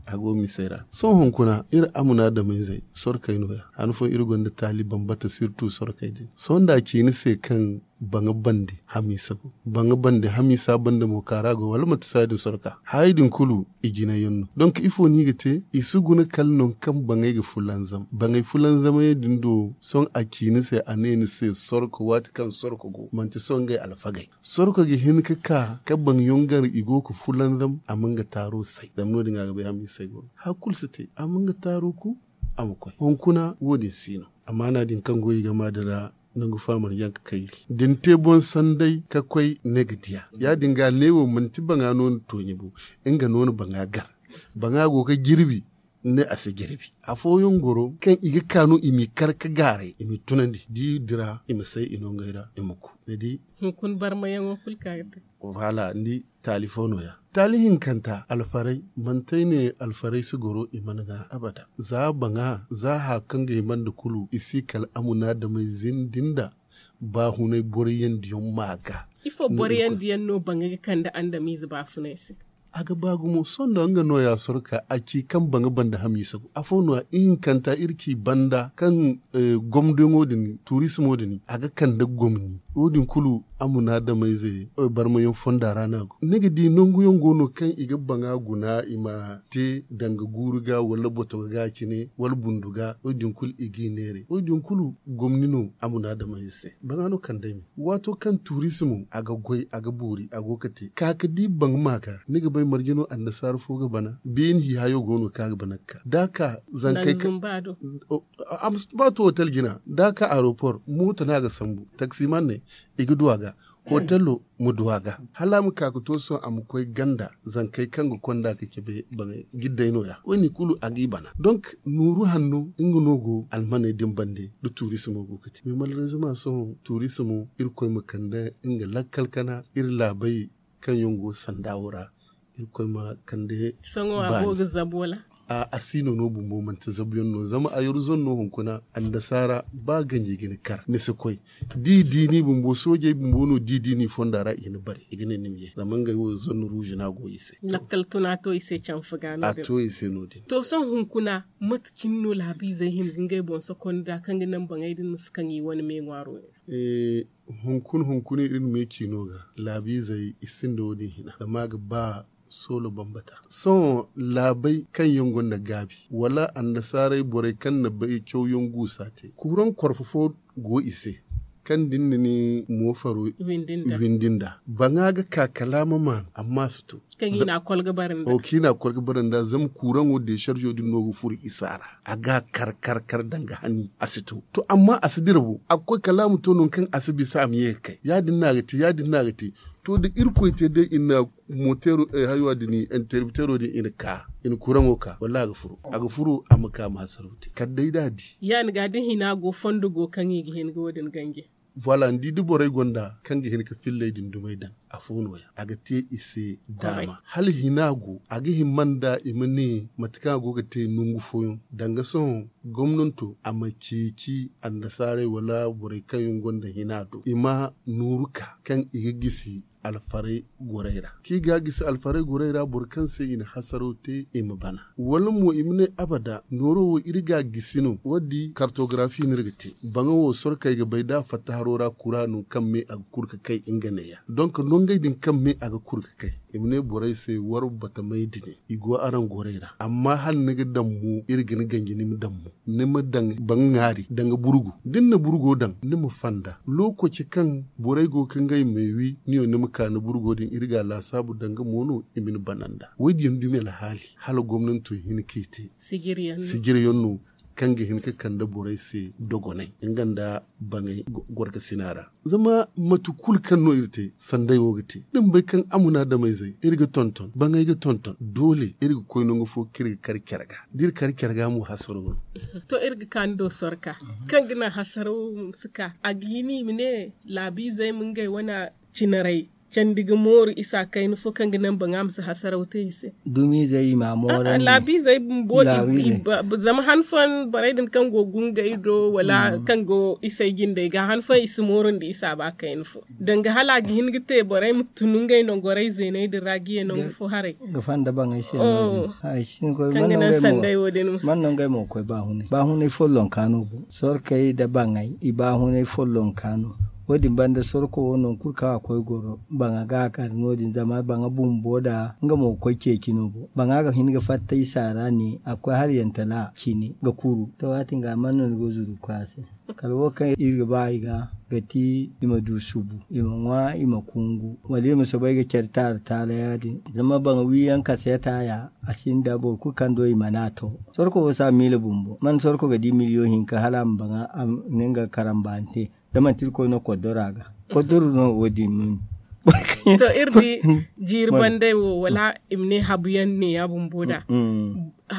a go misey ra sohõ hunkuna iri amunaadameyzey sorkey no- ya han fooyaŋ iri gonda taali bambata sirtu sorkey din sohõ nda a ci ni se kaŋ baŋa bande hamiisa go baŋa bande hamiisa bande mo kaara go wala manti se ya- din sorka hayey din kulu i jinay yaŋ no donk ifo no i ga te i si guna kala nangu kaŋ baŋey ga fulanzam baŋey fulanzamey din do sohõ a ci ni se a ne ni se sorko waati kaŋ sorko go manti sohõ ngey alfagey sorko ga hin ga ka ka baŋ yaŋ gar i go ga fulanzam a ma nga taaro say zama no- din a ga bay hamiisey go no hari kulu si te a ma nga taaro ku a ma koy hunkuna wo- din si no amaana din kaŋ go i game a din ra nangu fo a mana yaŋ ga kayri da ni te boŋ sanday ka koy ni ga diya ya- din ga ne wo manti baŋa no ni tooɲi bo nga no ni baŋa gar baŋa go ga jirbi ni ne a si jirbi afooyaŋ goro kaŋ i ga ka no i m'i kar ga gaaray i m'i tunandi da i dira i ma say i no ngey ra i ma ku ni di hunkuna barmayaŋo kulu ka ga te voilà ni di taali fo no- ya taali hinkanta alfaray manti ay ne alfaray si goro i mana ga abada za baŋa za haya kaŋ ga hima nda kulu i si kala amunaadamey zindi nda baahunay boroyaŋ diyaŋ ma ga ifo boroyaŋ diyaŋ no baŋa ga kande andamiize baafunay se a ga ba gumo sohõ nda nga no- ya sorka a ci kaŋ baŋa banda hamiisa go afo no- ya ihinkanta iri ci banda kaŋ gomdiyaŋo din turismo din a ga kande gomni wo- din kulu amunaadameyze barmayaŋ fonda ra no a go ni ga di nanguyaŋ go no kaŋ i ga baŋa guna i ma te danga guuru ga wala botogo ga cine wala bundu ga wo- din kulu i g'i neeray wo- din kulu gomni no amunaadameyze se baŋa no kande ay me waato kaŋ turismo a ga goy a ga boori a go ga te ka ga di baŋ ma ga ni ga bay marje no annasaara fo ga bana beeni hi hayo go no kaŋ a ga bana ga ka da a ka zankey kaŋ ba to hotel jina da a ka aeroport mooto no a ga sambu taksiman ne i ga du a ga hotelo ma du a ga hala a ma ka ga to sohõ a ma koy ganda zankey kaŋ ga konda ga cabe baŋey gidday no- ya wo- din kulu a g'i bana donk nooru hanno nga no go almaney din bande da turismo go ga te mais malheureusement sohõ turismo irkoy ma kande nga lakkal kana iri laabey kaŋ yaŋ go sanda wo ra irkoy ma kande sohõ a go ga zabu wala A si no no bumbo manti zabuyaŋ no zama a yaru zone no hunkuna annasaara ba ganji ga ni kar ni si koy. Da i di ni bumbo soojey bumbo no da i di ni fonda ra i ga ni bare i ga ne ni ma ye zama ngey wo zone ruuzi no a go i se. Lakkal tuna to i se canfa ga no a din to i se no- din. To sohõ hunkuna mate cine no laabiizey hima ga ngey boŋ sokonda kaŋ ga naŋ baŋey din ma si kaŋ i wane me ŋwaaro yaŋ. Hunkuna hunkuna iri na me ci no ga laabiizey i sinda wo- din hina zama a ga ba soolo bambata. Sohõ laabey kaŋ yaŋ gonda gaabi wala annasaarey borey kaŋ na bay cawyaŋ guusa te kuuraŋ korfo fo go i se kaŋ da ni na ni moofaro windi nda baŋa ga ka kala a ma maanu amma a si to. Kaŋ i na a kol ga bare nda zama kuuraŋo deesarzoo din no ga furo isa ra a ga a kar kar kar danga hani a si to. To amma a si dira bo a ga koy kala a ma to nangu kaŋ a si bisa a ma ye ga kay ya- din no a ga te ya- din no a ga te. To da irkoy te day i na moteero hayo din interpiteero din i na ka i na kuuraŋo ka wallaahi a ga furo a ga furo a ma ka ma hasaraw te kala day da a di. Ya- din ga da hina go fondo go kaŋ i ga hin ga wo- din ganji. Voilà ni di da borey gonda kaŋ ga hin ga filley din dumey daŋ afo no- ya a ga te i se daama hala hina go a ga hima nda i ma ne mate kaŋ a go ga te nangu fooyaŋ danga sohõ gomnanto a ma ceeci annasaarey wala borey kaŋ yaŋ gonda hina do i ma nooru ka kaŋ i ga gisi alfarey gorey ra kaŋ i ga a gisi alfarey gorey ra boro kaŋ se i na hasaraw te i ma bana wala mo i ma ne abada nooro wo iri ga a gisi no wo- din kartogarafi no iri ga te baŋa wo sorkey ga bay da a fatta haro ra kura no kaŋ me a ga kuru ga kay nga neeya donk nongey din kaŋ me a ga kuru ga kay i ma ne borey se war batamey din i go araŋ gorey ra amma hala ni ga daŋ mo iri ga ni ganji ni ma daŋ mo ni ma daŋ baŋ ŋaari danga burgu da ni na burgo daŋ ni ma fanda lokaci kaŋ borey go ga ngey me wi ni wo ni ma ka ni burgo din iri ga a laasaabu danga mo no i ma ni bana nda wo- din yaŋ dumi alhaali hala gomnanto hin ka i te sijir yaŋ no kaŋ ga hin ka kande borey se dogonay nga nda baŋay gorkasina ra zama mate kulu kaŋ no iri te sanday wo ga te da ni bay kaŋ amunaadamayzey iri ga tonton baŋay ga tonton doole iri ga koy nangu fo kaŋ iri ga kar care ga da iri kar care ga mo hasaro no. To iri ga ka ni do sorka kaŋ ga naŋ hasaraw ma si ka a ga hin i ma ne laabiizey ma ngey wane cinarey candi ga mooru isa kayna fo kaŋ ga naŋ baŋa ma si hasaraw te i se. Dumiizey i ma a mooran laabiizey bumbo zama han fooyaŋ borey din kaŋ go gungay do wala kaŋ go isey jindey ga han fooyaŋ i si mooru nda isa ba kayna fo danga hala a ga hin ga te borey ma tun ngey nangorey zeeney din ra ga ye nangu fo haray ga fanda baŋay se kaŋ ga naŋ sanday wo- din ma man no ngey mo ga koy baahunay baahunay follonka no go sorkey nda baŋay i baahunay follonka no wo- din banda sorko wo nangu kulu kaŋ a koy goro baŋa ga a kar no- din zama baŋa bumbo nda nga mo ga koy ceeci no bo baŋa ga hin ga fatta isa ra ne a ga koy hala yantala cine ga kuru to waati nga man no ni go zuru ga koy a se kala wo kaŋ iri ga ba i ga ga ti i ma du subu i ma ŋwa i ma kungu wala iri ma soobay ga care taara taara ya- din zama baŋa wiiyaŋ kaseeta ya a sinda boro kulu kaŋ do i mana to sorko wo si a miila bumbo man sorko ga di miliyoŋ hinka hala a ma baŋa a ma ne nga karambaani te da manti irkoy no koddora ga koddoro no wo- din no ni to iri di jiiri bandey wo wala i ma ne habu yaŋ ne ya bumbo da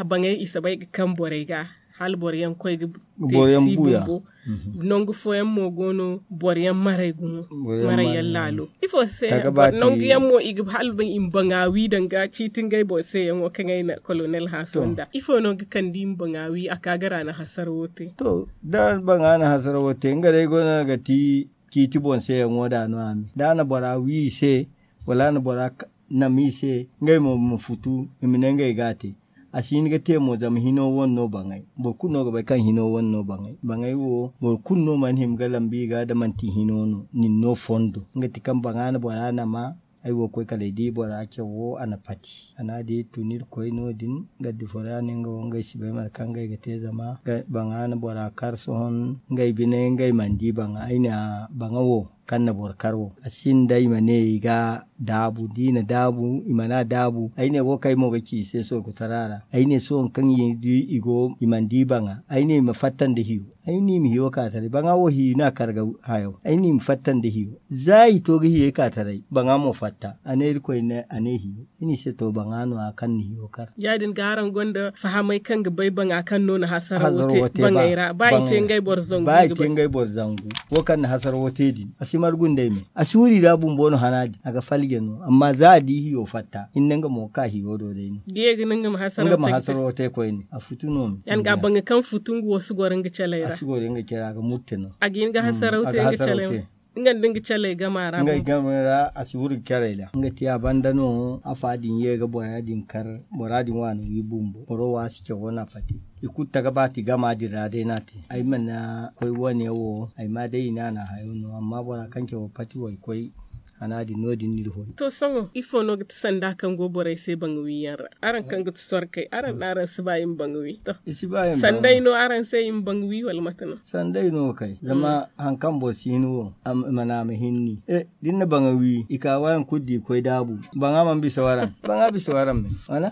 baŋay i soobay ga kaŋ borey ga hala boro yaŋ koy ga te si bumbo nangu fooyaŋ mo go no boro yaŋ maray gumo maray yaŋ laalo ifo se nangu yaŋ mo i ga hala i ma baŋa wi danga ciiti ngey boro se yaŋo kaŋ ay na kolonel haaso nda ifo no ga kande i ma baŋa wi a ka ga ra na hasara wo te to da baŋa na hasara wo te nga day go no ga ti ciiti boŋ se yaŋo da no a me da a na bora wi i se wala a na bora nama i se ngey mo ma futu i ma ne ngey ga a te a si hin ga te mo zama hino wane no baŋay boro kulu no ga bay kaŋ hino wane no baŋay baŋay wo boro kulu no mana hima ga lambu i ga da manti hino no nin no fondo nga ti kaŋ baŋa na bora nama ay wo koy kala ay di bora cawo a na pati a na di tun irkoy no- din gaddi foro ya no nga wo ngey si bay mate kaŋ ngey ga te zama baŋa na bora kar sohõ ngey bine ngey mana di baŋa ay ne baŋa wo kaŋ na boro kar wo a sinda i ma ne i ga daabu da i na daabu i mana daabu ay ne wo kaŋ ay mo ga ci i se sorkutara ra ay ne sohõ kaŋ i go i mana di baŋa ay ne i ma fatta nda hiyo ay ne i ma hiyo ka taray baŋa wo hiyo no a kar ga hayo ay ne i ma fatta nda hiyo za i to ga hiyey ka taray baŋa mo fatta a ne irkoy ne a ne hiyo ay ne i se to baŋa no- ya kaŋ na hiyo kar ya- din ga araŋ gonda fahamay kaŋ ga bay baŋa kaŋ no na hasara wo te baŋay ra ba i te ngey boro zangu ba i te ngey boro zangu wo kaŋ na hasara wo te din Timar gundey me a si wuri da bumbo no hana din a ga falje no amma za a di hiyo fatta hinne nga mo ga ka hiyo do day no. Nga ma hasaro te koyne a futu no. Yaŋ ga baŋ ga kaŋ futu nga wo si goro nga caley ra a ga murte no. A ga hin ga hasaro te nga caley ra. Nga nda nga caley gama ra a si wuri ga carey ra nga te a banda no afa din ye ga bora din kar. Bora din waani wi bumbo boro wo a si cawo no a pati. I kulu taga baati gama din ra day no a te ay mana koy wane wo ay ma day i ne a na hayo no amma bora kaŋ cawo pati wo ay koy. Hana din no- din no iri hoy. To sohõ ifo no ga ti sanda kaŋ go borey se baŋ wiyaŋ ra? Araŋ kaŋ ga ti sorkey araŋ no araŋ si ba i ma baŋ wi to. Sanday no araŋ se i ma baŋ wi wala mate no? Sanday no kay zama hari kaŋ boro si hin wo i ma ne a ma hinni. Da ni na baŋa wi i ka waraŋ kulu da i koy daabu. Baŋa mana bisa waraŋ baŋa bisa waraŋ me wala?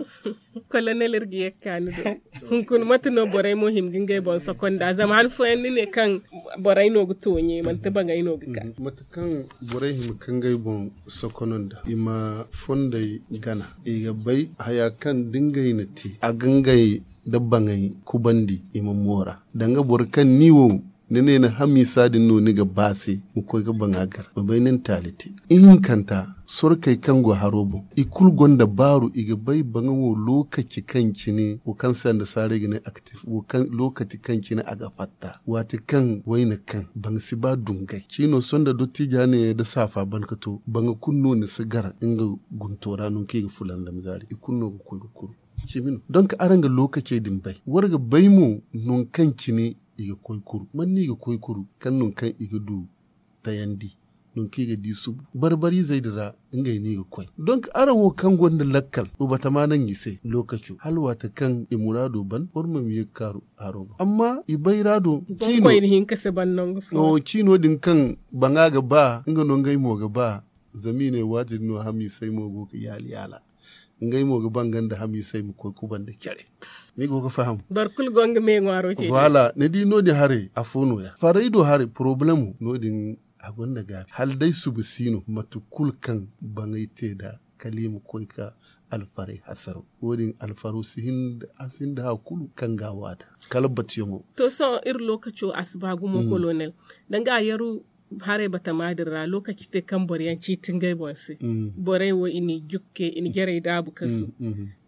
Kolonel iri ga ye ga ka ni do. Hunkuna mate no borey mo hima ga ngey boŋ sokonda zama han fooyaŋ ni ne kaŋ borey no ga tooɲe manti baŋey no ga ka. Mate kaŋ borey hima ga ngey boŋ sokonda i ma fondey gana i ga bay haya kaŋ da ngey na te a ga ngey nda baŋey kubandi i ma moora. Danga boro kaŋ ni wo ni ne ni hamiisa din no ni ga ba se ma koy ga baŋa gar ma bay ni na taali te. Ihinkanta sorkey kaŋ go haro boŋ i kulu gonda baaru i ga bay baŋa wo lookaci kaŋ cine wo kaŋ se annasaarey ga ne aktif wo kaŋ lookaci kaŋ cine a ga fatta waati kaŋ wayna kaŋ baŋa si ba dungay ciino sohõ nda dottiija ne nda saafa ban ga to baŋa kulu no ni si gar nga gunto ra nangu kaŋ i ga fulanzam zaari i kulu no ga koy ga kuru. Cimi no donk araŋ ga lookacey din bay war ga bay mo nangu kaŋ cine i ga koy kuru man no i ga koy kuru kaŋ nangu kaŋ i ga du tayandi nangu kaŋ i ga di subu barbariizey din ra. Ngey no i ga koy donk araŋ wo kaŋ gonda lakkal wa batama naŋ i se lookaco hala waati kaŋ i muraado ban war ma ma ye ga kaaru haro boŋ amma i bayra do ciino din kaŋ baŋa ga ba nga no ngey mo ga ba. Zama i ne waati din no hamiisey mo go ga yaali yaala. Ngey mo ga ba nga nda hamiisey ma koy kubanda care. Ni go ga faham. Boro kulu go nga me ŋwaaro ce. Voilà ni di no- din haray afo no- ya farey do haray porobalemo no- din a gonda gaabi hala day suba si no mate kulu kaŋ baŋay te nd'a kala i ma koy ga alfaray hasaro wo- din alfaro si hin da hari kulu kaŋ ga a waada kala batuyaŋo. To sohõ iri lookaco a si ba gumo kolonel danga a yaru haray batama din ra lookaci te kaŋ boro yaŋ ciiti ngey boŋ se. Borey wo i n'i jukke i na jarey daabu kasu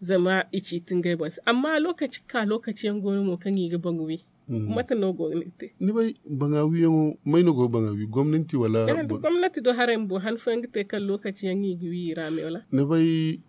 zama i ciiti ngey boŋ se amma lookaci ga ka lookaci yaŋ go no mo kaŋ i ga baŋ wi. Mate no go ga ni te? Ni bay baŋa wiyaŋo may no go ga baŋa wi gomnanti wala? Gomnanti do haray bumbo han fooyaŋ ga te kaŋ lookaci yaŋ i ga wi i ra me wala? Ni bay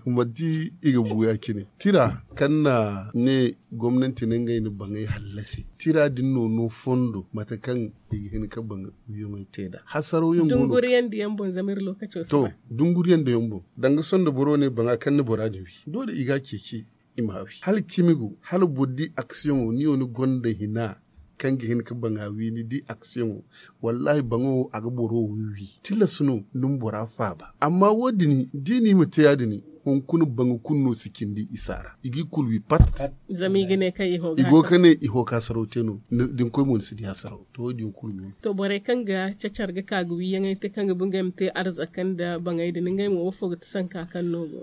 manti i ga bu ya- cine tira kaŋ na ne gomnanti na ngey na baŋay hallasi tira din no no fondo mate kaŋ i ga hin ga baŋ wiyaŋey te nd'a hasaraw yaŋ go no. Dunguriyaŋ da yaŋ boŋ zama iri lookaco si ba. Dunguriyaŋ da yaŋ boŋ danga sondo boro ne baŋa kaŋ na bora din wi doole i ga a ceeci. I ma wi hala cimi go hala boro di aksiyoŋo ni wo ni gonda hina kaŋ ga hin ga baŋa wi ni di aksiyoŋo. Wallahi baŋo wo a ga boro wo wi wi tilas no ni ma bora faaba amma wo- din da i na i ma te ya- din hunkuna baŋa kulu no si cindi isa ra i ga i kulu wi pat. Zama i ga ne kaŋ i go ga ne i ho ga hasaraw te no da ni koy mo ni si di hasaraw to wo- din kulu no. To borey kaŋ ga cacar ga ka ga wiyaŋey te kaŋ ga ba ngey ma te arzaka nda baŋey din ngey mo wo fo ga ti sanka kaŋ no go?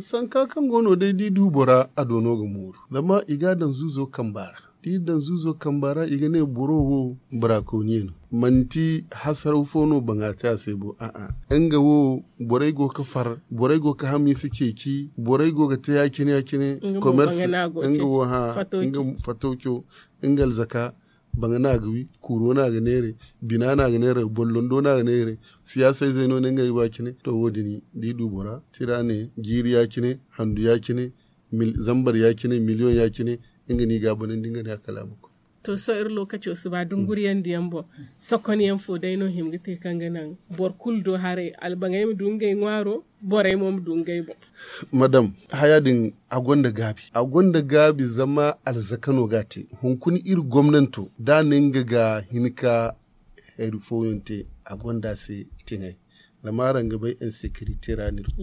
Sanka kaŋ go no day da i du bora a do no ga mooru zama i ga a daŋ zuuzo kamba ra da i daŋ zuuzo kamba ra i ga ne boro wo bora kooniye no. Manti hasaraw fo no baŋa te a se bo a'a nga wo borey go ga far borey go ga hamiisa ceeci borey go ga te ya- cine ya- cine. Komers nga wo hã nga fatawco nga alzaka baŋa no a ga wi kuuro no a ga neeray bina no a ga neeray bollondo no a ga neeray. Siyaasa izey no ne ngey ba cine to wo- din da i du bora tira ne jiiri ya- cine handu ya- cine zambar ya- cine miliyoŋ ya- cine. Nga no i ga a banandi nga ne a kala a ma koy. To sohõ iri lookaco si ba dunguriyaŋ da yaŋ boŋ sokonyaŋ fo day no hima ga te kaŋ ga naŋ boro kulu do haray albaŋey ma du ngey ŋwaaro borey mo ma du ngey boŋ. Madam haya din a gonda gaabi a gonda gaabi zama alzaka no ga a te hunkuna iri gomnanto da a ne nga ga hin ka hari fooyaŋ te a gonda a se tiŋay. Zama araŋ ga bay insekirite ra no iri go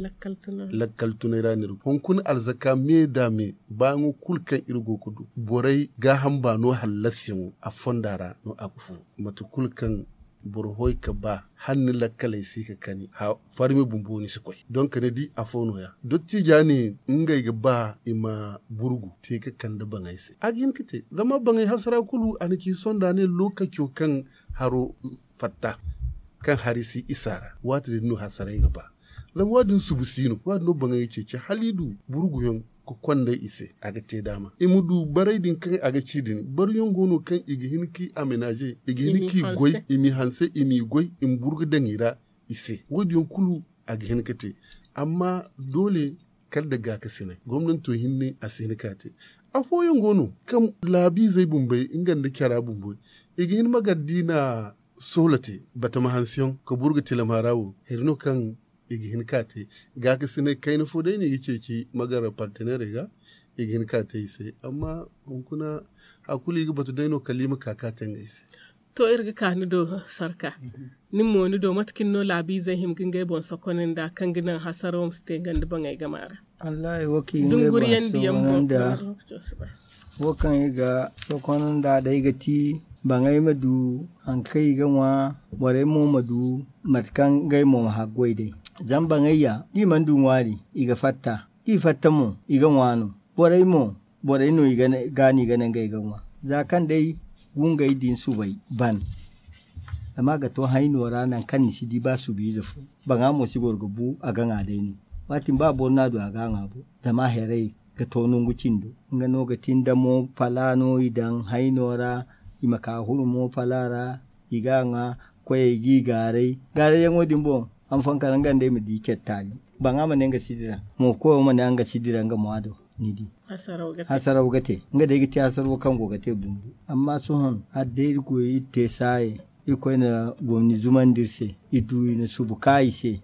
lakkal tunay ra no iri go hunkuna alzaka me da me baayaŋo kulu kaŋ iri go ga du borey gaaham baano hallasyaŋo a fonda ra no a ga furo mate kulu kaŋ Boro hoy ka ba hala ni lakkaley si ka kani farmi bumbo ni si koy. Donk ni di afo no- ya dottiija ne ngey ga ba i ma burgu te ga kande baŋey se a ga hin ga te zama baŋey hasara kulu a na ci sonda ne lookaco kaŋ haro fatta kaŋ hari si isa ra waati din no hasaray ga ba. Zama wa- din subu si no wa- din no baŋey ga ceeci hala i du burguyaŋ ga konday i se a ga te daama i ma du baray din kaŋ a ga ci din baryaŋ go no kaŋ i ga hin ka i amenaaze i ga hin ka i goy i m'i hanse i m'i goy i ma burgu daŋ i ra. I se wo- din yaŋ kulu a ga hin ga te. Amma doole kala nda gaakasinay gomnanto hinne a si hin ka te. Afooyaŋ go no kaŋ laabiizey bumbey nga nda cara bumbey i ga hin ma gar da i na soola te batama hanseyaŋ ka burgu tilama ra wo hari no kaŋ i ga hin ka te. Gaakasinay kayna fo day no i ga ceeci ma gar parteneerey ga i ga hin ka te i se. Amma hunkuna hari kulu i ga batu day no kala i ma ka ka te ngey se. To iri ga ka ni do sarka nin mo ni do mate kaŋ ni no laabiizey hima ga ngey boŋ sokon nda kaŋ ga naŋ hasaro ma si te nga nda baŋey gama ra. Dunguriyandiyaŋ boŋ. Wo kaŋ i ga sokon nda day ga ti baŋey ma du hari kaŋ i ga ŋwa borey mo ma du mate kaŋ ngey mo ma haggoy day. Zama baŋey ya da i mana du ŋwaari i ga fatta da i fatta mo i ga ŋwa no. Borey mo borey no i ga no i ga ne ngey ga ŋwa za kaŋ day gungey din subay ban. Zama a ga to hayno ra nangu kaŋ ni si di ba subiize fo baŋa mo si goro ga bu a ga ŋwa day no. Waati ba boro no a du a ga a ŋwa bo zama a haray ga to nangu cindo nga no ga ti nda mo pala no i daŋ hayno ra i ma ka huru mo pala ra i ga a ŋwa. Koyey ga i gaaray gaarayyaŋo din boŋ hanfankara nga nda i ma di care taali baŋa ma ne nga si dira mo koyo ma ne nga si dira nga mo a do. Ni di hasaraw ga te nga day ga te hasaraw kaŋ go ga te bumbu. Amma sohõ hala day iri koy iri te saaye irkoy na gomni zumandi iri se. Iri du i na subu ka i se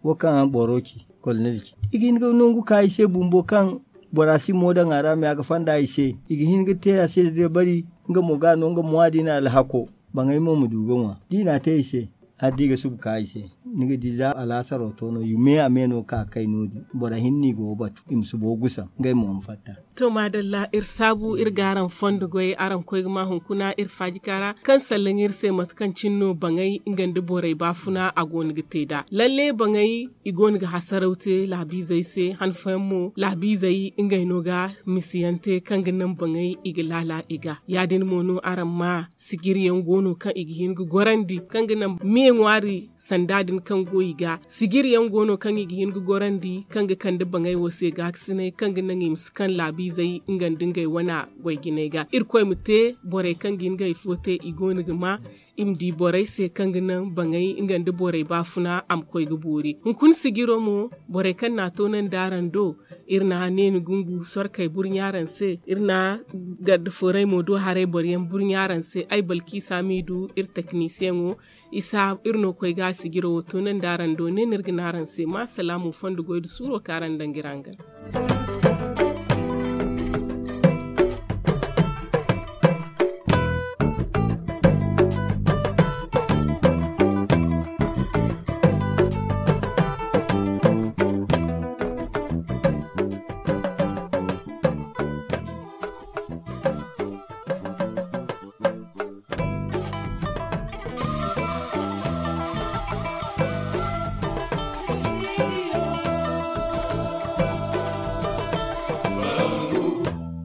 wo kaŋ boro ci kolonel ci i ga hin ga nangu ka i se bumbo kaŋ bora si mo daŋ a ra me a ga fanda i se. I ga hin ga te a se dabari nga mo ga no nga mo a di na alhako baŋay mo ma du ga ŋwa da i na a te i se. Hala da i ga subu ka i se ni ga di za alaasaro to no i me a me no ka kay no- din boro hinne i go ga batu i ma subo gusaŋ ngey mo ma fatta. To maadalla iri saabu iri ga araŋ fondo goy araŋ koy ga ma hunkuna iri faajika ra kaŋ sallaŋ iri se mate kaŋ cine no baŋay nga nda borey baafuna a go no ga te nd'a lalle baŋay i go no ga hasaraw te laabiizey se han fooyaŋ mo laabiizey ngey no ga misiyaŋ te kaŋ ga naŋ baŋay i ga laala i ga ya- din mo no araŋ ma sijiriyaŋ go no kaŋ i ga hin ga gorandi kaŋ ga naŋ me ŋwaari sanda din kaŋ go i ga sijiriyaŋ go no kaŋ i ga hin ga gorandi kaŋ ga kande baŋay wo se gaakasinay kaŋ ga naŋ i ma si kaŋ laabiizey nga nda ngey wane goy jinay ga irkoy ma te borey kaŋ ga hin ga hari fo te i go no ga ma i ma di borey se kaŋ ga naŋ baŋay nga nda borey baafuna a ma koy ga boori hunkuna sijiro mo borey kaŋ na a toonandi araŋ do iri na neeni gungu sorkey burɲa araŋ se iri na garda forey mo do haray boroyaŋ burɲa araŋ se ay balkiisa m'i du iri teknisiyeŋo isa iri no koy ga a sijiro wo toonandi araŋ do ne no iri ga ne araŋ se ma salaamu fondo goy nda suuro kaŋ araŋ daŋ ga iri hangan.